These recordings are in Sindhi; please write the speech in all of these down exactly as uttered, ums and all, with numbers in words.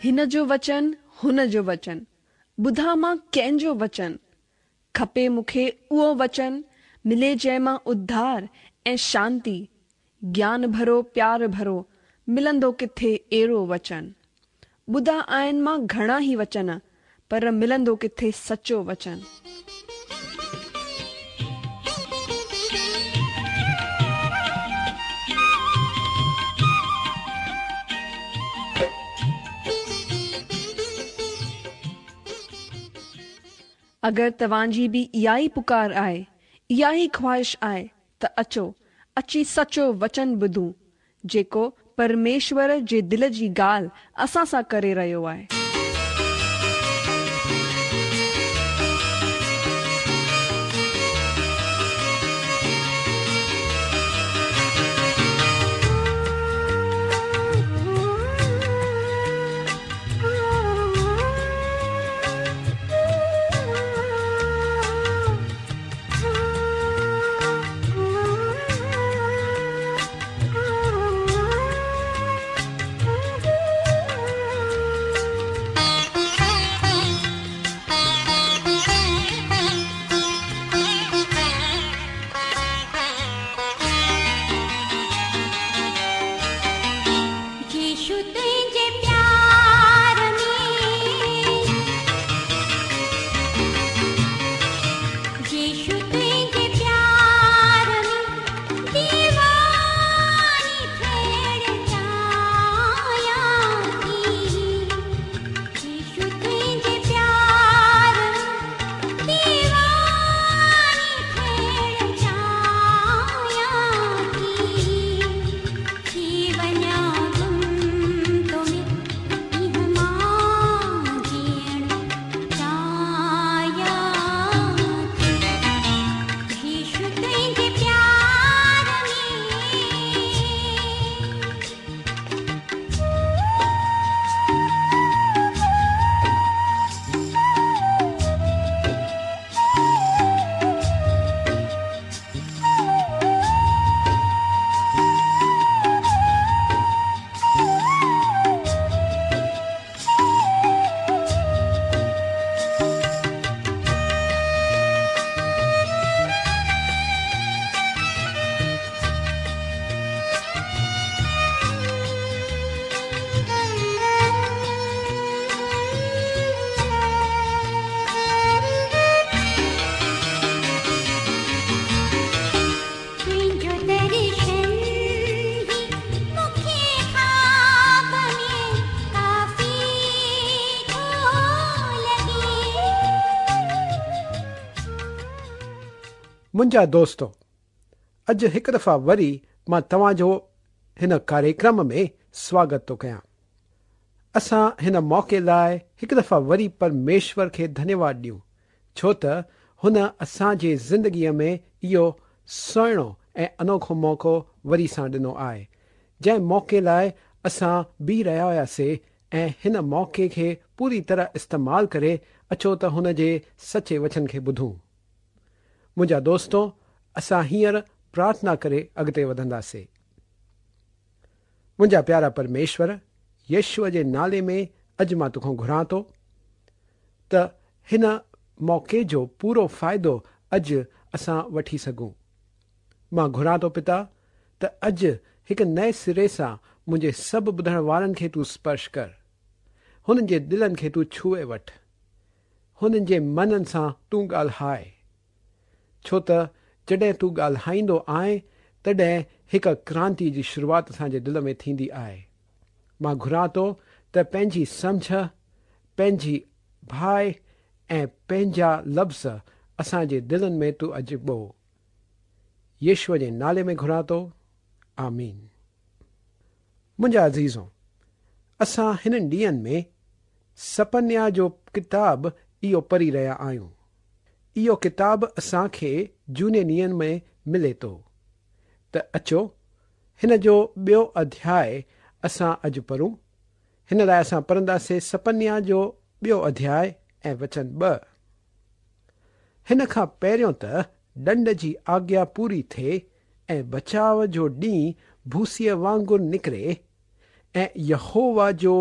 हिन जो वचन हुन जो वचन, ॿुधां मां कंहिंजो वचन? खपे मूंखे उहो वचन, मिले जंहिं मां उद्धार ऐं शांती। ज्ञान भरो प्यार भरो, मिलंदो किथे अहिड़ो वचन? ॿुधा आहिनि मां घणा ई वचन, पर मिलंदो किथे सचो वचन? अगरि तव्हांजी बि इहा ई पुकार आहे, इहा ई ख़्वाहिश आहे त अचो, अची सचो वचन ॿुधूं, जेको परमेश्वर जे दिलि जी ॻाल्हि असां सां करे रहियो आहे। मुंहिंजा दोस्तो, अॼु हिकु दफ़ा वरी मां तव्हांजो हिन कार्यक्रम में स्वागत थो कयां। असां हिन मौक़े लाइ हिकु दफ़ा वरी परमेश्वर खे धन्यवाद ॾियूं, छो त हुन असांजे ज़िंदगीअ में इहो सुहिणो ऐं अनोखो मौक़ो वरी सां ॾिनो आहे, जंहिं मौक़े लाइ असां बीह रहिया हुआसीं ऐं हिन मौक़े खे पूरी तरह इस्तेमालु करे अचो त हुन जे सचे वचन खे ॿुधूं। मुंहिंजा दोस्तो, असां हींअर प्रार्थना करे अॻिते वधंदासीं। मुंहिंजा प्यारा परमेश्वर, यीशुअ जे नाले में अॼु मां तोखां घुरां थो त हिन मौक़े जो पूरो फ़ाइदो अॼु असां वठी सघूं। मां घुरां थो पिता त अॼु हिकु नए सिरे सां मुंहिंजे सभु ॿुधण वारनि खे तूं स्पर्श कर, हुननि जे दिलनि खे तूं छुए वठि, हुननि जे मननि सां तूं ॻाल्हाए, छो त जॾहिं तूं ॻाल्हाईंदो आहीं तॾहिं हिकु क्रांति जी शुरूआत असांजे दिलि में थींदी आहे। मां घुरां थो त पंहिंजी सम्झ, पंहिंजी भाइ ऐं पंहिंजा लफ़्ज़ असांजे दिलनि में तूं अॼु ॿो। यीशुअ जे नाले में घुरां थो, आमीन। मुंहिंजा अज़ीज़ो, असां हिननि ॾींहंनि में सपन्या जो किताब इहो पढ़ी रहिया आहियूं। इहो किताब असांखे जूने नियम में मिले थो। त अचो हिन जो ॿियो अध्याय असां अॼु पढ़ूं। हिन लाइ असां पढ़ंदासीं सपन्या जो ॿियो अध्याय ऐं वचन ॿ। हिन खां पहिरियों त ॾंड जी आज्ञा पूरी थिए ऐं बचाव जो ॾींहुं भूसीअ वांगुरु निकिरे ऐं यहोवा जो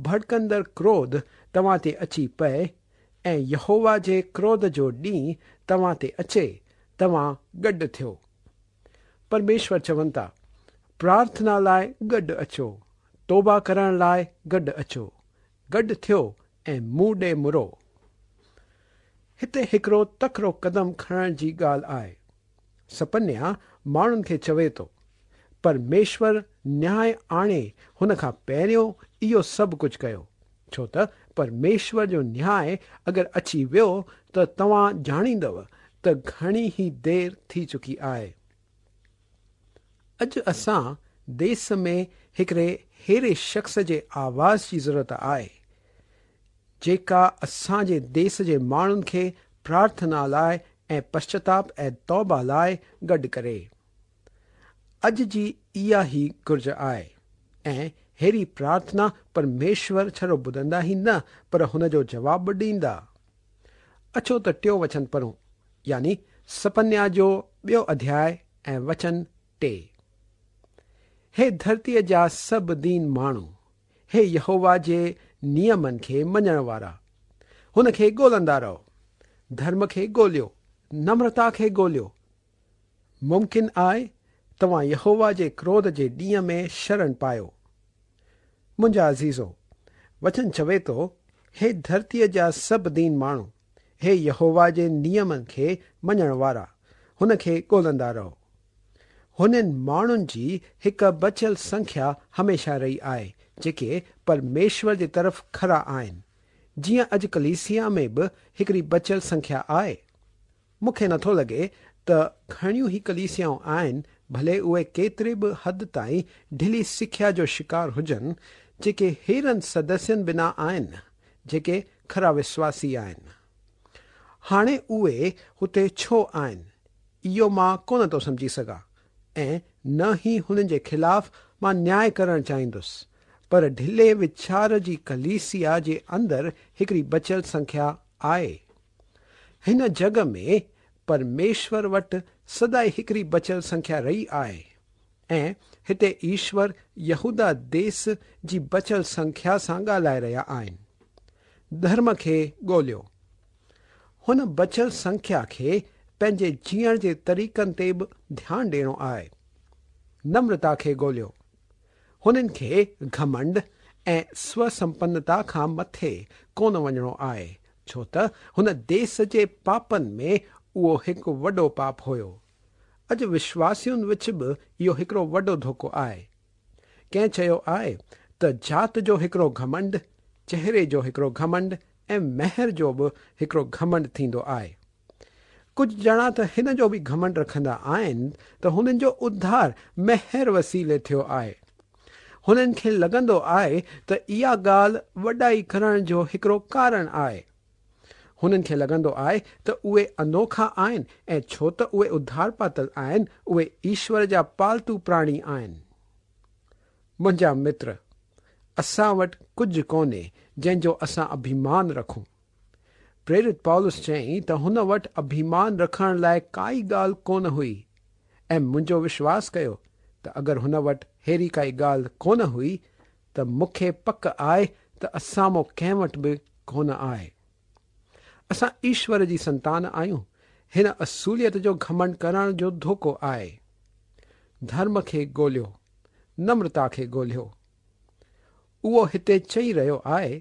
ڀڙڪندڙ ڪروڌ توهان تي اچي پئي ۽ يهووا جي ڪروڌ جو ڏينهن توهان تي اچي، توهان گڏ ٿيو. پرميشور چون ٿا، پرارٿنا لاءِ گڏ اچو، توبه ڪرڻ لاءِ گڏ اچو، گڏ ٿيو ۽ مون ڏي مڙو. هتي هڪڙو تڪڙو قدم کڻڻ جي ڳالهه آهي. سپنيا ماڻهن کي چوي ٿو، پرميشور نياءُ آڻي هن کان پهريون اهو سڀ ڪجهه ڪيو، ڇو ته پرميشور جو نياءُ اگر اچي ويو ته توهان ڄاڻيندؤ ته گهڻي ئي دير ٿي چڪي آهي. اڄ اسان ديس ۾ هڪڙي ههڙي شخص جي آواز جي ضرورت آهي جيڪا اسان جي ديس جي ماڻهن کي پرارٿنا لاءِ ۽ پشچاتاپ ۽ توبه لاءِ گڏ ڪري. اڄ جي اها ئي گهرج آهي ۽ ههڙي پرارٿنا پرميشور ڇڙو ٻڌندا ئي نه پر هن جو جواب به ڏيندا. اچو ته ٽيون وچن پڙهون، يعني سپنيا جو ٻيو اڌياءُ ۽ وچن ٽي. هي ڌرتيءَ جا سڀ دين ماڻهو، هي يهووا جي نيمن کي مڃڻ وارا، هن کي ڳولهندا رهو. ڌرم کي ڳولهيو، نمرتا کي ڳولهيو. ممڪن آهي توهان يهووا جي ڪروڌ جي ڏينهن ۾ شرڻ پايو. منهنجا عزيزو، وچن چوي ٿو، هي ڌرتيءَ جا سڀ دين ماڻهو، هي يهووا جي نيمن کي مڃڻ وارا، هن کي ڳولهندا رهو. هنن ماڻهن جي هڪ بچيل سنکيا هميشه رهي آهي جيڪي پرميشور جي طرف کرا آهن، جيئن اڄ ڪليسيا ۾ به هڪڙي بچيل سنکيا آهي. مون کي نٿو لڳي ته گهڻيون ئي ڪليسيائون آهن، ڀلي اهي ڪيتري به حد تائين ڍلي سکيا جو شڪار هجن، جيڪي هيرن سدسين بنا آهن جيڪي کرا وشواسي آهن. هاڻي اهي هتي ڇو آهن اهو مان ڪونه ٿو سمجهي سگهان ۽ نه ئي هنن جي خلاف مان نياءُ ڪرڻ چاهيندس، پر ڍلي ويچار جي ڪليسيا جي اندر هڪڙي بچيل سنکيا آهي. هن جڳ ۾ پرميشور وٽ سدائين هڪڙي بچيل سنکيا رهي آهي ۽ هتي ايشور يهودا ديس جي بچيل سنکيا سان ڳالهائي رهيا آهن. ڌرم کي ڳولهيو. هن بچيل سنکيا کي پنهنجي جيئڻ جي طريقن تي به ڌيان ڏيڻو آهي. نمرتا کي ڳولهيو. هنن کي گهمنڊ ۽ سوسمپنتا کان مٿي ڪونه وڃڻو آهي، ڇو ته هن ديس جي پاپن ۾ اهو هڪ وڏو پاپ هيو. اڄ وشواسين وچ به اهو هڪڙو وڏو ڌوڪو آهي. ڪنهن چيو آهي ته ذات جو هڪڙو گهمنڊ، چهري جو هڪڙو گهمنڊ ۽ مهر جو به هڪڙو گهمنڊ ٿيندو آهي. ڪجهه ڄڻا ته هن جو به گهمنڊ رکندا آهن ته هنن جو اڌار مهر وسيلي ٿيو آهي. هنن کي لڳندو آهي ته اها ڳالهه وڏائي ڪرڻ جو هڪڙو ڪارڻ آهي. هنن کي لڳندو آهي ته اهي انوکا آهن ۽ ڇو ته اهي اڌار پاتل آهن، اهي ايشور جا پالتو پراڻي آهن. منهنجا متر، اسان وٽ ڪجهه ڪونهي جنهن جو اسان اڀمان رکون. پريرت پولس چيائين ته هن وٽ اڀمان رکڻ لاءِ ڪائي ڳالهه ڪونه هئي ۽ منهنجو وشواس ڪيو ته اگر هن وٽ ههڙي ڪائي ڳالهه ڪونه هئي ته مون کي پڪ آهي ته اسان مان ڪنهن وٽ به ڪونه آهي. اسان ايشور جي سنتان آهيون. هن اصوليت جو گهمنڊ ڪرڻ جو ڌوڪو آهي. ڌرم کي ڳولهيو، نمرتا کي ڳولهيو. اهو هتي چئي رهيو آهي،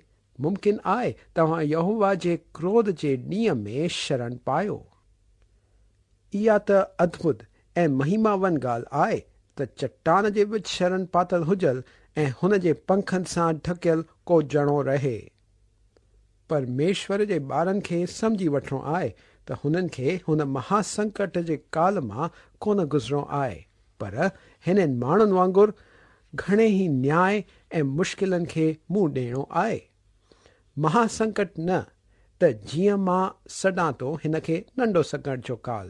ممڪن آهي توهان يهووا جي ڪروڌ جي ڏينهن ۾ شرڻ پايو. اها ته ادڀت ۽ مهماون ڳالهه آهي ته چٽان جي وچ شرڻ پاتل هجل ۽ هن جي پنکن سان ڍڪيل ڪو ڄڻو رهي. پرميشور جي ٻارن کي سمجهي وٺڻو آهي ته هنن کي هن مهاسنڪٽ جي ڪال مان ڪونه گذرڻو آهي، پر هنن ماڻهن وانگر گهڻي ئي نياءُ ۽ مشڪلن کي منهن ڏيڻو آهي. مهاسنڪٽ نه ته جيئن مان سڏان ٿو هن کي ننڍو سنڪٽ جو ڪال.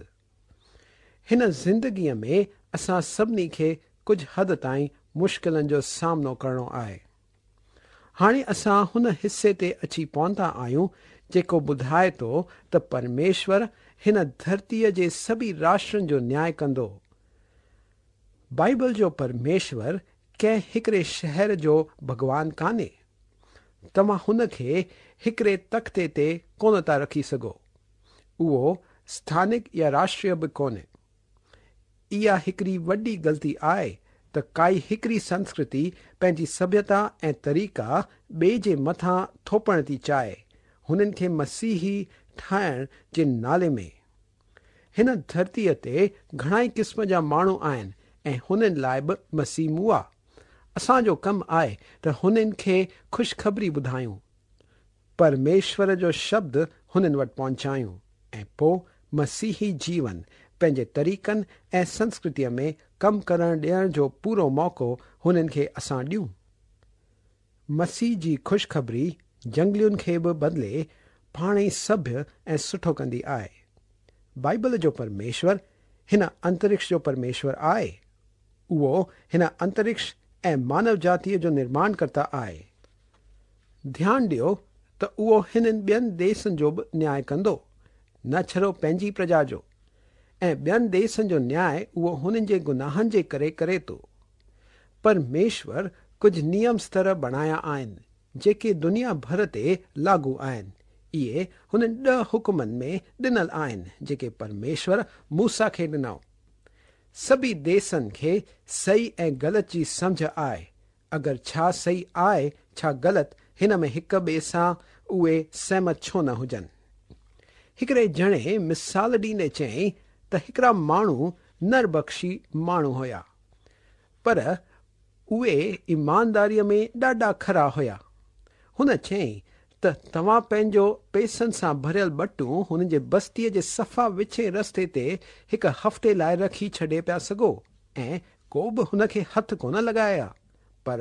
هن زندگيءَ ۾ اسان سڀني کي ڪجهه حد تائين مشڪلن جو سامنو ڪرڻو آهي. هاڻي اسان هن حصي تي اچي پهتا آهيون جيڪو ٻڌائي ٿو ته پرميشور هن ڌرتيءَ جي سڀئي راشٽرن جو نياءُ ڪندو. بائيبل جو پرميشور ڪنهن هڪڙي شهر جو ڀڳوان ڪانهي. توهان هن کي هڪڙي تختي تي ڪونه ٿا رکي سگهو. اهو اسٿانڪ يا راشٽريه به ڪونهي. اها هڪڙي وڏي غلطي آهي ته ڪائي هڪڙي سنسڪرتي پنهنجي سڀيتا ۽ طريقا ٻئي جي مٿان ٿوپڻ ٿي چاهي، هنن کي مسيحي ٺاهڻ جي نالي ۾. هن ڌرتيءَ تي گهڻائي قسم جا ماڻهو آهن ۽ هنن لاءِ به مسيح مئا. اسان جو ڪم آهي ته هنن کي خوشخبري ٻڌايون، پرميشور جو شبد هنن وٽ پهچايون ۽ پوءِ مسيحي جيون پنهنجي طريقن ۽ سنسڪرتيءَ ۾ ڪم ڪرڻ ڏيڻ جو پورو موقعو هنن کي اسان ڏيون. مسيح جي خوشخبري جنگلين کي به بدلي پاڻ ئي سڀيه ۽ سٺو ڪندي آهي. بائيبل جو پرميشور هن انترڪش جو پرميشور آهي. اهو هن انترڪش ۽ مانو جاتيءَ جو نرماڻ ڪرتا آهي. ڌيان ڏيو ته اهو هنن ٻين ديسن جو به نياءُ ڪندو، نه ڇڙو پنهنجي پرجا جو. ۽ ٻين ديسن جو نياءُ اهو هنن جي گناهن جي ڪري ڪري ٿو. پرميشور ڪجهه نيم ستر بڻايا آهن جيڪي دنيا ڀر تي لاڳو آهن. اهي هنن ڏهه حڪمن ۾ ڏنل آهن جيڪي پرميشور موسيٰ کي ڏنو. سڀئي ديسن کي صحيح ۽ غلط جي سمجهه آهي. اگر ڇا صحيح آهي ڇا غلط، هن ۾ هڪ ٻئي سان اهي سهمت ڇو نه هجن. هڪڙي ڄڻي مثال ڏيندي چيائين ته هڪڙا ماڻهو نربڪشي ماڻهو هئا، پر اهي ايمانداريءَ ۾ ڏاڍا کرا هئا. هن چيائين ته توهان پنهنجو پئسن سان ڀريل ٻٽون هن جي بستيءَ جي صفا وچين رستي تي هڪ هفتي لاءِ رکي ڇڏي پيا سگهو ۽ ڪو به هن کي هٿ ڪونه لڳائي، پر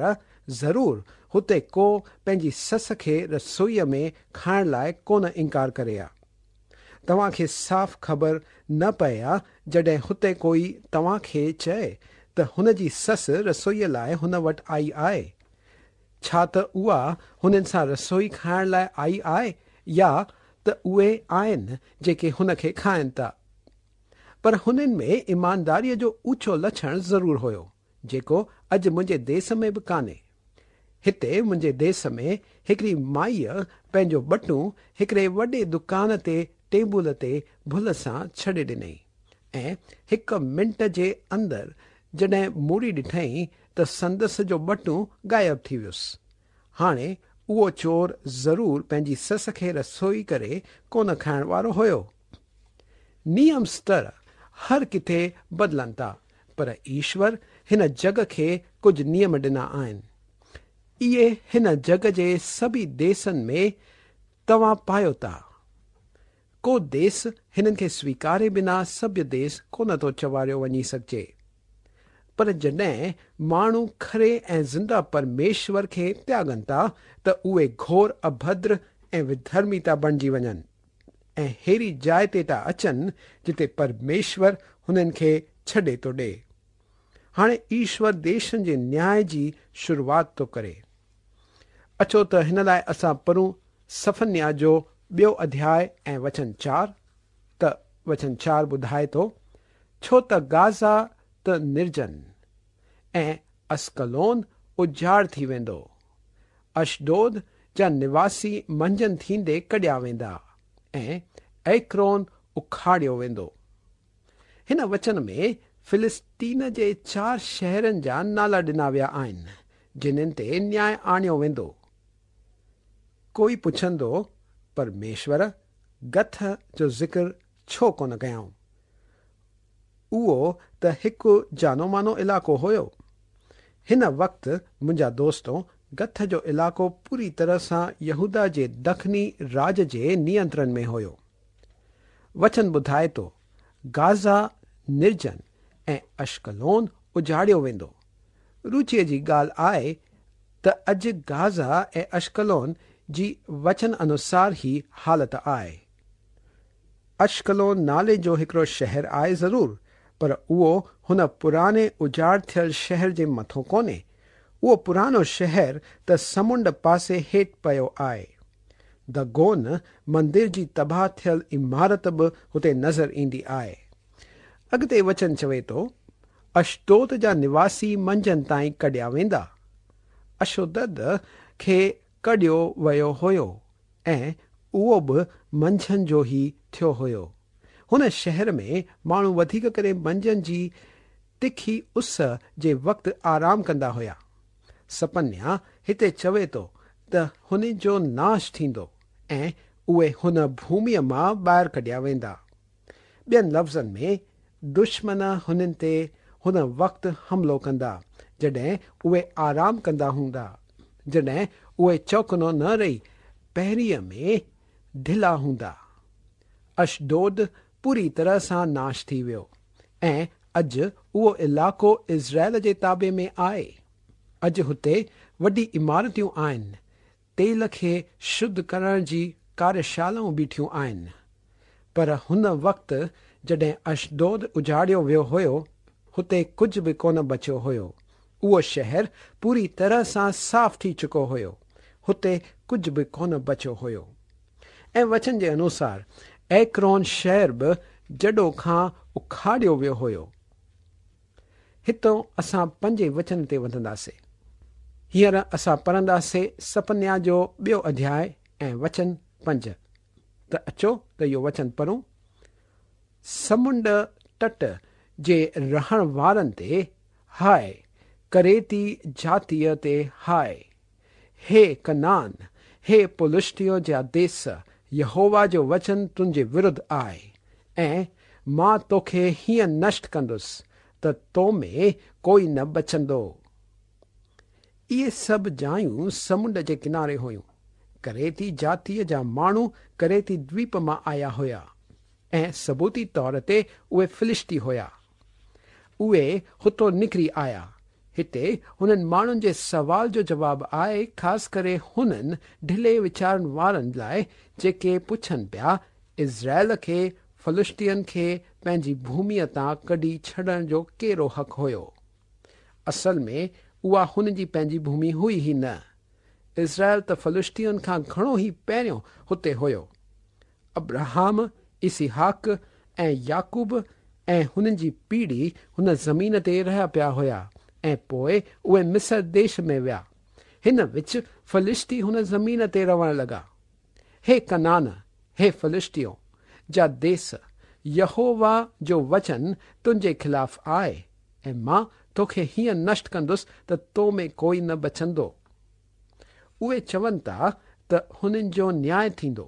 ضرور هتي ڪو پنهنجي سس کي رسوئيءَ ۾ کائڻ لاءِ ڪونه انڪار ڪري ها. توهان کي صاف خبر نه پئي ها جڏهن هتي ڪوئي توهان کي چئي ته هن جي سس رسوئيءَ لاءِ هن وٽ آئي آهي. ڇا ته اها هنن سان رسوئي کائڻ لاءِ آئي آهي يا ته اهي آهن جيڪي هن کي کائن ٿا. پر هنن ۾ ايمانداريءَ جو اوچو لڇڻ ضرور هيو، جيڪو اڄ منهنجي ديس ۾ به ڪانهي. هتي منهنجي ديس ۾ هڪڙي مائيءَ پنهنجو ٻٽون هڪڙي وڏي دڪان تي ٽيبل تي ڀل سان ڇڏي ڏنئي ۽ هڪ منٽ جي اندر جڏهن موڙي ڏٺئين ته سندس جو ٻٽون غائب ٿي ويس. هاڻي اهو چور ضرور پنهنجي سس کي رسوئي ڪري ڪونه کائڻ وارو هيو. نيم ستر هر ڪٿي بدلن ٿا، پر ايشور هن جڳ کي ڪجهه نيم ڏنا آهن. اهي هن جڳ جي سڀئي ديسن ۾ توهان پايو ٿا. ڪو ديس هنن کي سويڪاري بنا سڀيه ديس ڪونه ٿو چواريو وڃي سگهجي. پر جڏهن ماڻهو کري ۽ زنده پرميشور کي تياڳن ٿا ته اهي گهور اڀدر ۽ وڌرمي ٿا بڻجي وڃن ۽ هيڙي جاءِ تي ٿا اچن جتي پرميشور هنن کي ڇڏي ٿو ڏئي. هاڻي ايشور ديشن جي نياءُ جي شروعات ٿو ڪري. اچو ته هن لاءِ اسان پڙهون سفنيا جو ٻيو اڌياءُ ۽ وچن چار. ته وچن چار ٻڌائي ٿو، ڇو ته گازا ته نرجن ۽ اسڪلون اجاڙ ٿي ويندو، اشدود جا نواسي منجهند ٿيندي ڪڍيا ويندا ۽ ايڪرون اکاڙيو ويندو. هن وچن ۾ فلسطين جي چار شهرن جا نالا ڏنا ويا آهن جنهن تي نياءُ آڻيو ويندو. ڪوئي پڇندو، پرميشور گٿ جو ذڪر ڇو ڪونه ڪيائون؟ اهو ته هڪ جانو مانو علائقو هيو. هن وقت منهنجا دوستو، گٿ جو علائقو پوري طرح سان يهودا جي دکني راج جي نينترڻ ۾ هيو. وچن ٻڌائي ٿو، گازا نرجن ۽ اشڪلون اجاڙيو ويندو. رچيءَ جي ڳالهه آهي ته اڄ گازا ۽ اشڪلون جي وچن انوسار ئي حالت آهي. اشڪلون نالي جو هڪڙو شهر آهي ضرور، پر اهو هن پراڻي اجاڙ ٿيل شهر جي مٿو ڪونهي. اهو پراڻو شهر ته سمنڊ پاسي هيٺ پيو آهي. دگون مندر جي تباهه ٿيل عمارت به هتي نظر ايندي آهي. اڳتي وچن چوي ٿو، اشدود جا نواسي منجهند تائين ڪڍيا ويندا. اشدود کي ڪڍيو ويو هيو ۽ اهو به منجهند جو ئي ٿيو هيو. هن شهر ۾ ماڻهو وڌيڪ ڪري منجهند جي تکي اس جي وقت آرام ڪندا هيا. سپنيا هتي چوي ٿو ته هن جو ناش ٿيندو ۽ اهي هن ڀوميءَ مان ٻاهر ڪڍيا ويندا. ٻين لفظن ۾ دشمن هنن تي هن وقت حملو ڪندا جڏهن اهي آرام ڪندا هوندا، جڏهن اهي چوڪنو نه رهي پهريءَ ۾ ڍلا هوندا. اشدود پوري طرح سان ناش ٿي ويو ۽ اڄ اهو علائقو اسرائيل جي تابع ۾ آهي. اڄ هتي وڏي عمارتيون آهن، تيل کي شڌ ڪرڻ جي ڪاريشالائون بيٺيون آهن. پر هن وقت جڏهن اشدود اجاڙيو ويو هيو، هتي ڪجهه به ڪونه بچيو هيو. اهو شهر پوري طرح سان صاف ٿي چڪو هيو، هتي ڪجهه به ڪونه بچيو هيو. ۽ وچن جي انوسار ايڪرون شهر به جڙو کان اکاڙيو ويو هيو. هتان اسان پنجين وچن تي وڌنداسين. هينئر اسان پڙهنداسين سپنيا جو ٻيو اڌياءُ ۽ وچن پنج. ته اچو ته اهو وچن پڙهون. سمنڊ تٽ جي رهڻ وارن تي هاءِ، ڪريتي جاتيءَ تي هاءِ. هي ڪنعان، هي پلشتيءَ جا ديس، يهووا جو وچن تنهنجي ورڌ آهي ۽ مان توکي هيئن نشٽ ڪندس ته تو ۾ ڪوئي نه بچندو. اهي سڀ جايون سمنڊ جي ڪناري هيون. ڪريتي جاتيءَ جا ماڻهو ڪريتي دويپ مان آيا هيا ۽ ثبوتي طور تي اهي فلشتي هيا. اهي هتو نڪري آيا. هتي هنن ماڻهن جي سوال جو جواب آهي، خاص ڪري هنن ڍلي ويچارن وارن لاءِ جيڪي پڇن پيا اسرائيل کي فلشتين کي پنهنجي ڀوميءَ تان ڪڍي ڇڏڻ جو ڪهڙو حق هيو؟ اصل ۾ اها هن جي پنهنجي ڀومي هئي ئي نه. اسرائيل ته فلشتين کان گهڻو ئي پهريون هتي هيو. ابراهام، اسحاق ۽ يعقوب ۽ هنن جي پيڙهي هن زمين تي رهيا پيا هيا ۽ پوءِ اهي مصر ديش ۾ ويا. هن وچ فلشتي هن زمين تي رهڻ لڳا. هي ڪنعان، هي فلشتيو جا ديس، يهووا جو وچن تنهنجي خلاف آهي ۽ مان توکي هيئن نشٽ ڪندس ته تو ۾ ڪوئي نه بچندو. اهي چون ٿا ته هنن جو نياءُ ٿيندو.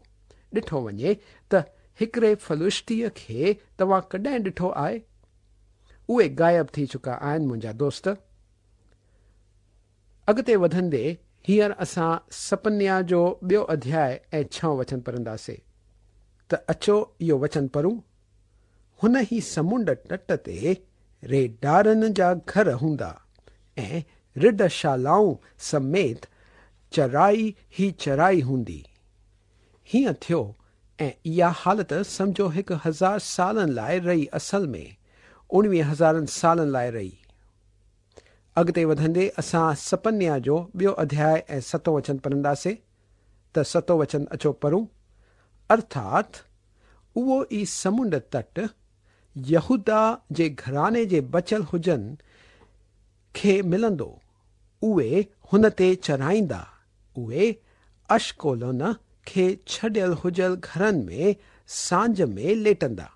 ڏٺو وڃي ته هڪڙي فلشتيءَ کي توهان ڪڏهن ڏٺو آهي؟ اهي غائب ٿي چڪا آهن منهنجا دوست. اڳتي وڌندي هينئر اسان سپنيا جو ٻيو اڌياءُ ۽ ڇهون وچن پڙهنداسين. ته اچو اهو وچن پڙهون. هن ئي سمنڊ تٽ تي ريڍارن جا گهر هوندا ۽ رڍ شالائون سميت چرائي ئي چرائي هوندي. هيئن ٿيو ۽ اها حالت سمجهو هڪ هزار سالن لاءِ رهي، اصل ۾ اڻويهه هزارن سالن لاءِ رهي. اڳتي وڌندي اسان سپنيا جو ٻيو اڌياءُ ۽ ستون وچن پڙهنداسين. ته ستون وچن اچو پڙهون. ارٿات اهو ئي سمنڊ تٽ يهودا جي گهراڻي جي بچيل هجن کي ملندو. اهي هن تي چرائيندا. اهي اشڪولون کي ڇڏيل هجل گهرن ۾ سانجهه ۾ ليٽندا،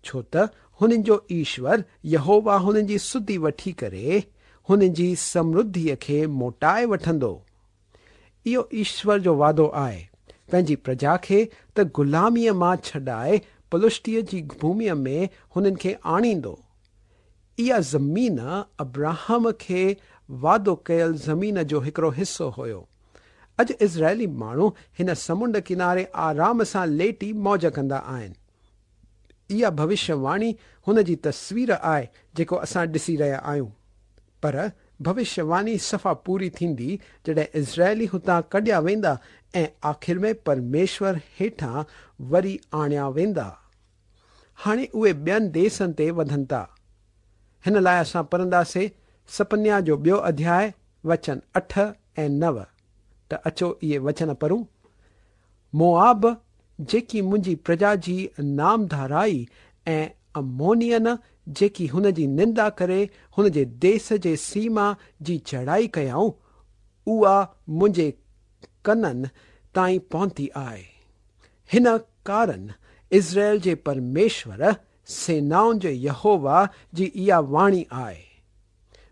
ڇو ته هنن جو ايشور يهووا هنن جي سڌي وٺي ڪري هنن جي سمرڌيءَ کي موٽائي وٺندو. اهو ايشور جو واعدو آهي پنهنجي پرجا کي ته غلاميءَ مان ڇڏائي پلشتيءَ جي ڀوميءَ ۾ هنن کي آڻيندو. اها زمين ابراهام کي واعدو ڪيل زمين جو هڪڙو حصو هيو. اڄ اسرائيلي ماڻهو هن سمنڊ ڪناري آرام سان ليٽي موج ڪندا آهن. اها ڀوشيواڻي هن جي تصوير آهي جيڪو اسان ڏسي رهيا آهيون. پر ڀوشيواڻي صفا پوري ٿيندي جڏهن اسرائيلي هتان ڪڍيا ويندا ۽ آخر ۾ پرميشور هيٺان وري آڻيا ويندا. هاڻي اهي ٻين ديسن تي وڌن ٿا. هن لاءِ اسان پڙهنداسين سپنيا جو ٻيو اڌياءُ وچن اٺ ۽ نو. ته اچو اهي وچن پڙهون. موآب جيڪي منهنجي پرجا جي نامڌارائي ۽ امونين جيڪي هن جي نندا ڪري هن جي ديس جي سيما جي چڙهائي ڪيائون، اها منهنجي ڪنن تائين پهتي آهي. هن ڪارڻ اسرائيل جي پرميشور سينائن جي يهووا جي اها واڻي آهي.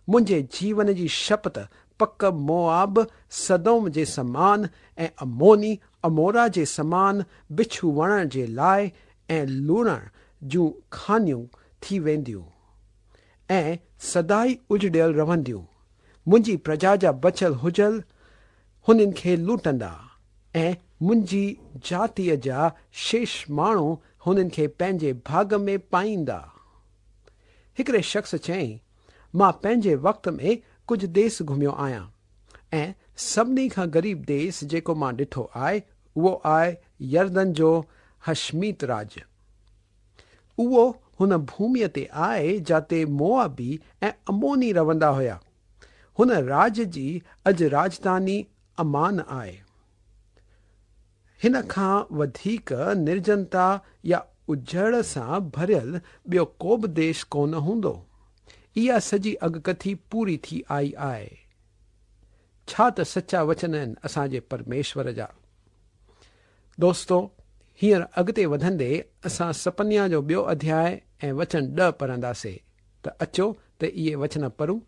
منهنجي جيون جي شپت پڪ موآب سدوم جي سمان ۽ عموني عمورا جي سمان بڇو وڻڻ جي لاءِ ۽ لڻڻ جون کانيون ٿي وينديون ۽ سدائين اجڙيل رهنديون. منهنجي پرجا جا بچيل هجل هنن کي لٽندا ۽ منهنجي جاتيءَ جا شيش ماڻهو هنن کي پنهنجي ڀاڳ ۾ پائيندا. هڪڙي شخص چيائين، مان پنهنجي وقت ۾ ڪجهه ديس گهميو آهيان ۽ سڀني کان غريب ديس جيڪو مان ڏٺو آهي اهو آهي يردن جو هشميت راڄ. اهو هن ڀوميءَ تي آهي جاتي موآبي ۽ عموني رهندا هئا. هن راڄ جي اڄ راڄڌاني امان آهي. هن کان وڌيڪ نرجنتا يا اجڙ سان ڀريل ٻيو ڪو به ديش ڪونه هوندو. اها سڄي اڳڪٿي پوري ٿي آئي آهي. ڇا ته سچا وچن آهن اسان جي پرميشور جا. دوستو، هينئر اڳتي وڌندي اسان سپنيا جو ٻيو اڌياءِ ۽ وچن ڏهه پڙهنداسين ته اچو ته اهي وچن پڙهون.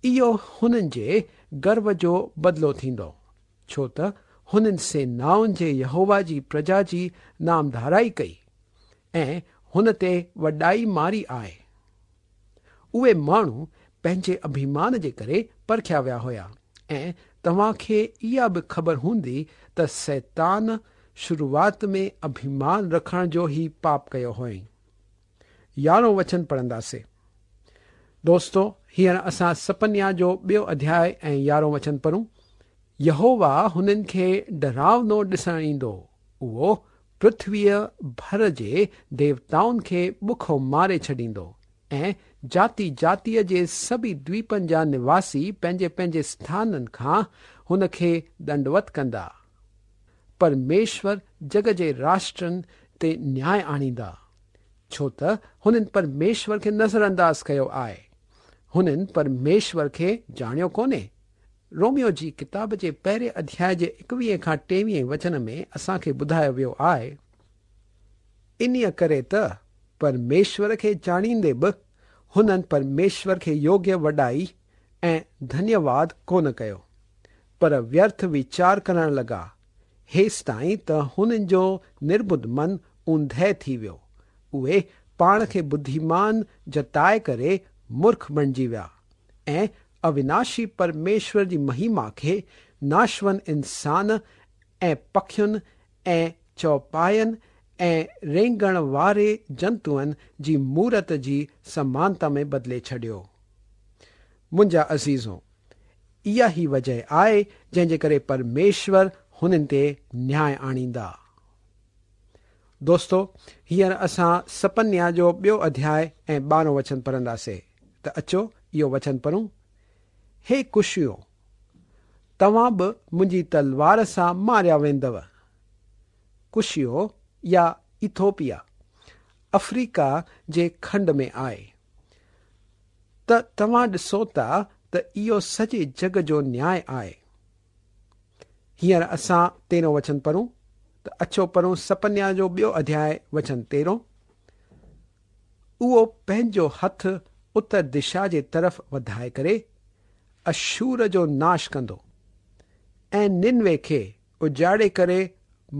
اهو هنن جي گرو جو بدلو ٿيندو، ڇو ته هنن سينائن جي يهووا جي پرجا جي نامڌارائي ڪئي ۽ هن تي وڏائي ماري آهي. اهي ماڻهو پنهنجي اڀيمان جي ڪري پرکيا ويا هئا ۽ توهان کي اها به خبر هوندي ته شيطان شروعات ۾ اڀيمان رکڻ جو ئي پاپ ڪيو هئائين. يارهون وچن پڙهنداسين. دوستو، هينئر اسان سپنيا جو ٻيو اڌياءِ ۽ يارهون وچن پڙهون. يهووا هنن کي ڊراونو ڏسڻ ايندو. اهو پرٿويءَ ڀر جي ديوتائن کي بکو ماري ڇڏيندو ۽ جاتي جاتيءَ جي سڀئي دويپن جا نواسي پنهنجي پنهنجي اسٿانن کان هن کي دنڊوت ڪندا. پرميشور جڳ جي راشٽرن تي نياءُ آڻيندا، ڇو ته هنن پرميشور کي نظرانداز ڪيو آهي. هنن پرميشور کي ڄاڻيو ڪونهي. روميو جي ڪتاب جي پهرين اڌياءِ جي ايڪويهه کان ٽيويهه وچن ۾ اسان کي ٻڌايو ويو آهي، انهيءَ ڪري ته پرميشور کي ڄاڻيندي به هنن پرميشور کي يوگيه وڏائي ۽ ڌنيواد ڪونه ڪيو، پر ويرٿ ويچار ڪرڻ لڳا، هيستائين ته هنن جو نرٻڌ من اوندهه ٿي ويو. اهي پاڻ کي ٻڌيمان جتائي ڪري مورک بڻجي ويا ۽ اويناشي پرميشور جي مهما کي ناشون انسان ۽ پکين ۽ چوپاين ۽ رينگڻ واري جنتوئن جي مورت جي سمانتا ۾ بدلي ڇڏيو. منهنجا عزيزو، اها ئي وجهه آهي جنهن جي ڪري پرميشور هنن تي نياءُ آڻيندا. دوستو، هينئر اسان سپنيا جو ٻيو اڌياءِ ۽ ٻارهون وچن پڙهنداسين ته اچو اهو وچن پڙهون. هي ڪشيو، توهان به منهنجي تلوار سان ماريا ويندؤ. ڪشيو يا ايٿوپيا آفريڪا جي کنڊ ۾ آهي. ته توهان ڏسو ٿا ته اهو سڄي جڳ جو نياءُ آهي. هينئر اسان تيرهون وچن پڙهون ته اچو پڙهون سپنيا جو ٻيو اڌياءِ وچن تيرهون. اهو پنهنجو هٿ اتر دشا جي طرف وڌائي ڪري اشور جو ناش ڪندو ۽ ننوي کي اجاڙي ڪري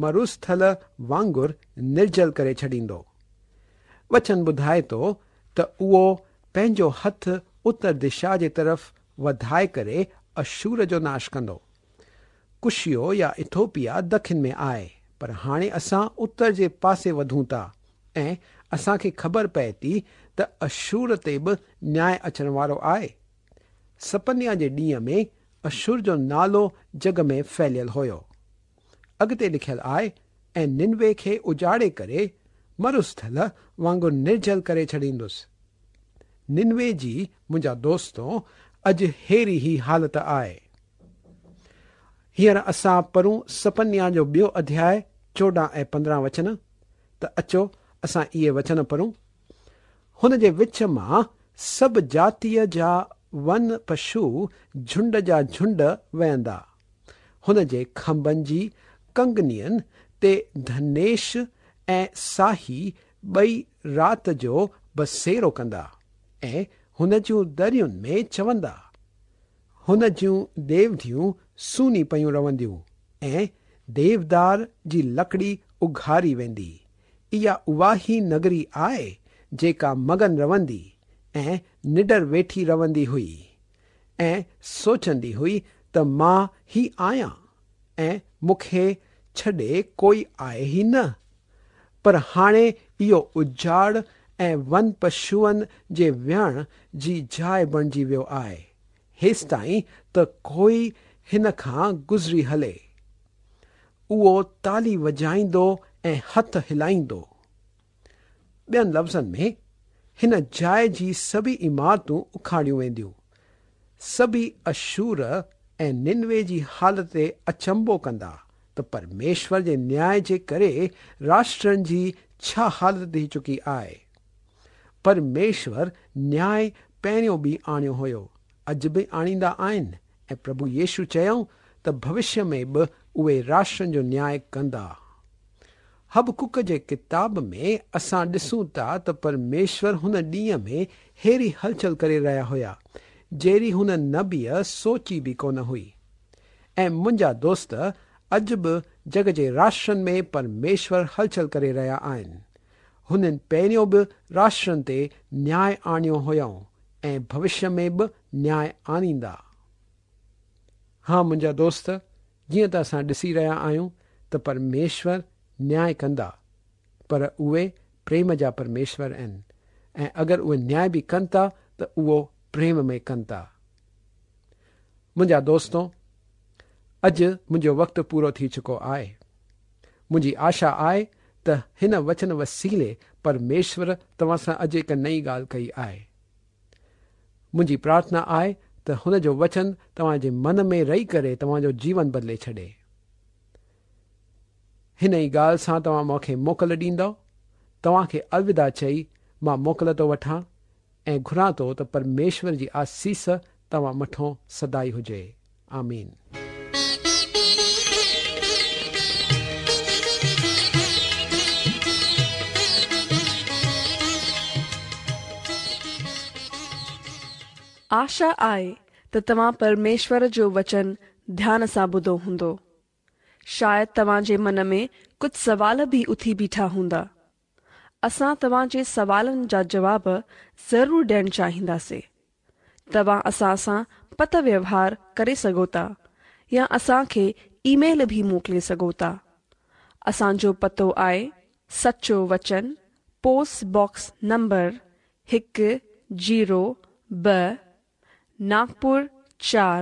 مروسٿل وانگر نرجل ڪري ڇڏيندو. وچن ٻڌائي ٿو ته اهو پنهنجو هٿ اتر دشا جي طرف وڌائي ڪري اشور جو ناش ڪندو. ڪشيو يا ايٿوپيا دکن ۾ آهي، پر هاڻي اسان اتر جي پاسي وڌون ٿا ۽ اسان کي خبر پئي ٿي ته اشور تي به نياءُ اچڻ وارو آهي. سپنيا جي ڏينهن ۾ اشور جو نالو جڳ ۾ ڦهليل هيو. اڳتي لکيل آهي، ۽ ننوي کي اجاڙي ڪري مروسٿل وانگر نرجل ڪري ڇڏيندس. ننوي جي منهنجا دوستو اڄ هيڙي ئي حالت آهي. هينئر اسان پڙهون سپنيا جو ٻيو اڌياءِ چوڏهن ۽ پندرهن وچن ته اچو اسان اهي وچن پڙهون. هن جي وچ مان سڀ جاتيءَ جا ون پشو جهنڊ جا جهنڊ وهندا. هن جي کنڀن جي ڪنگنين تي ڌنيش ۽ ساهي ٻئي رات جو بسيرو ڪندا ۽ هن جون درين ۾ چوندا. هن جون ڏيوڍيون سوني پيون رهنديون ۽ ديودار جي لڪڙي اگهاري ويندي. اها اها ئي نگري آهي جيڪا مگن رهندي ۽ نڊر ويٺي رهندي هئي ۽ سوچندي هئي ته مان ئي آهيان ۽ مون کي ڇڏي ڪوئي آهي ئي نه. پر هاڻي اهو اجاڙ ۽ ون پشوئن جي ويهڻ جي جاءِ بڻجي ويو آهي، هيستائين ته ڪوئي هن کان گذري هلي. اهو تالي وڄائيندو ۽ هٿ هلائيندو. ٻين لفظن ۾ هن جاءِ جي سڀئي عمارتون اکاڙيون وينديون. سڀئي اشور ۽ ننوي جي حالت تي اچنڀو ڪندا ته پرميشور جي نياءَ جي ڪري راشٽرن جي ڇا حالت ٿي چڪي آهي. پرميشور نياءُ پهريون به آڻيو هيو، اڄ به آڻيندا آهن ۽ پرڀو يشو چيائون ته ڀوشيه ۾ به اهي راشٽرن جو نياءُ ڪندا. حبقوق جي ڪتاب ۾ اسان ڏسون ٿا ته پرميشور هن ڏينهن ۾ هيڙي هلچل ڪري رهيا هئا جهڙي هن نبيءَ سوچي به ڪونه هئي. ۽ منهنجا دوست، اڄ به جڳ جي راشٽرن ۾ پرميشور هلچل ڪري رهيا آهن. هنن پهريون به راشٽرن تي نياءُ آڻيو هيو ۽ ڀوشيه ۾ به نياءُ آڻيندا. ها منهنجا دوست، جيئن ته اسان ڏسي رهيا آهيون ته پرميشور نياءُ ڪندا، پر اهي پريم جا پرميشور آهن ۽ اگر اهي نياءُ به ڪن ٿا ته اهو پريم ۾ ڪن ٿا. منهنجا دوستو، اڄ منهنجو وقت پورو ٿي چڪو آهي. منهنجي آشا آهي ته هن وچن وسيلي پرميشور توهان سان اڄ هڪ نئين ڳالهه ڪئي آهي. منهنجي پرارٿنا آهي ته هن جو وچن توهان جي من ۾ رهي ڪري توهان جو جيون بدلي ڇڏي. هن ئي ڳالهه سان توهان مون کي موڪل ڏيندؤ. توهان کي الوداع چئي مان موڪل ٿو وٺان ۽ گهران ٿو ته پرميشور جي آسيس توهان مٿان سدائين هجي. آمين. آشا آهي ته توهان پرميشور جو وچن ڌيان سان ٻڌو هوندو. شايد توهان جي من ۾ ڪجهه سوال به اٿي بيٺا هوندا. اسان توهان جي سوالن جا جواب ضرور ڏيڻ چاهينداسين. توهان اسان سان پتر ويوهار ڪري سگهو ٿا يا اسان کي اي ميل به موڪلي سگهو ٿا. اسان جو پتو آهي سچو وچن، پوسٽ باڪس نمبر هڪ زيرو ٻه، ناگپور چار،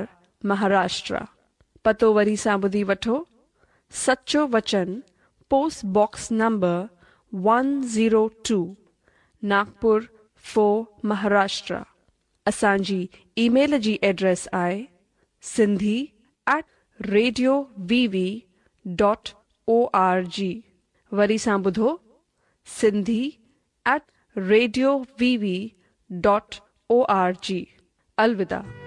مهاراشٽر. پتو وري سان ٻڌي وٺو، سچو وچن، post box number one zero two, Nagpur four, Maharashtra. اسان جي اي ميل جي ايڊريس آهي Sindhi at radio V V dot O R G. وري سان ٻڌو، Sindhi at radio V V dot O R G. الوداع.